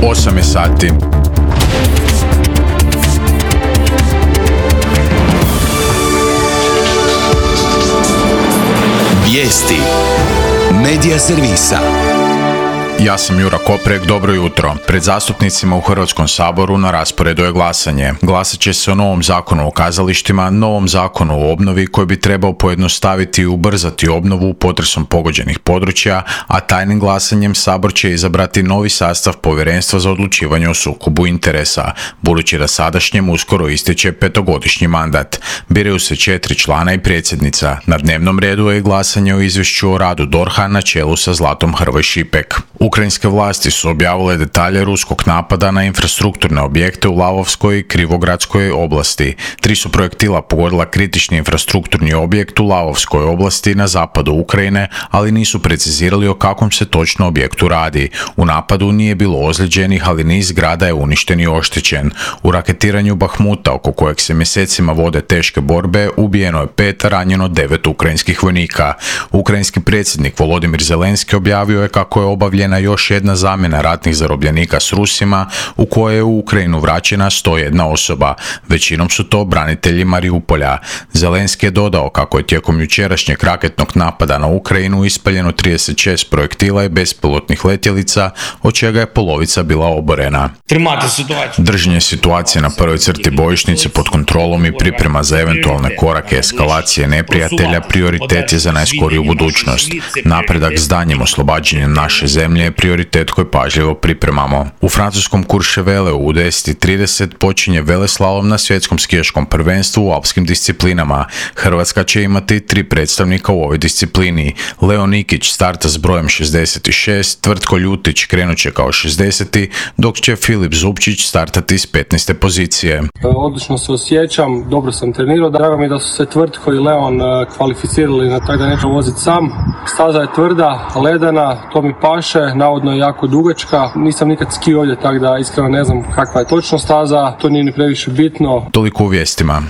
8 je sati. Vijesti Medija servisa. Ja sam Jura Koprek, dobro jutro. Pred zastupnicima u Hrvatskom saboru na rasporedu je glasanje. Glasat će se o novom zakonu o kazalištima, novom zakonu o obnovi koji bi trebao pojednostaviti i ubrzati obnovu potresom pogođenih područja, a tajnim glasanjem Sabor će izabrati novi sastav Povjerenstva za odlučivanje o sukobu interesa, budući da sadašnjem uskoro ističe 5-godišnji mandat. Biraju se 4 člana i predsjednica. Na dnevnom redu je glasanje o izvješću o radu DORH-a na čelu sa Zlatom Hrvoj Šipek. Ukrajinske vlasti su objavile detalje ruskog napada na infrastrukturne objekte u Lavovskoj i Krivogradskoj oblasti. 3 su projektila pogodila kritični infrastrukturni objekt u Lavovskoj oblasti na zapadu Ukrajine, ali nisu precizirali o kakvom se točno objektu radi. U napadu nije bilo ozlijeđenih, ali niz zgrada je uništen i oštećen. U raketiranju Bahmuta, oko kojeg se mjesecima vode teške borbe, ubijeno je 5, ranjeno 9 ukrajinskih vojnika. Ukrajinski predsjednik Volodimir Zelenski objavio je kako je obavljena još jedna zamjena ratnih zarobljenika s Rusima, u kojoj je u Ukrajinu vraćena 101 osoba. Većinom su to branitelji Mariupolja. Zelenski je dodao kako je tijekom jučerašnjeg raketnog napada na Ukrajinu ispaljeno 36 projektila i bespilotnih letjelica, od čega je polovica bila oborena. Držanje situacije na prvoj crti bojišnice pod kontrolom i priprema za eventualne korake eskalacije neprijatelja prioritet je za najskoriju budućnost. Napredak s daljnjim oslobađanjem naše zemlje je prioritet koji pažljivo pripremamo. U francuskom Courcheveleu u 10:30 počinje veleslalom na svjetskom skijaškom prvenstvu u alpskim disciplinama. Hrvatska će imati 3 predstavnika u ovoj disciplini. Leo Nikić starta s brojem 66, Tvrtko Ljutić krenut će kao 60, dok će Filip Zupčić startati s 15. pozicije. Odlično se osjećam, dobro sam trenirao, drago mi je da su se Tvrtko i Leon kvalificirali na taj da neću voziti sam. Staza je tvrda, ledena, to mi paše, navodno je jako dugačka. Nisam nikad skio ovdje, tako da iskreno ne znam kakva je točno staza, to nije ni previše bitno. Toliko u vijestima.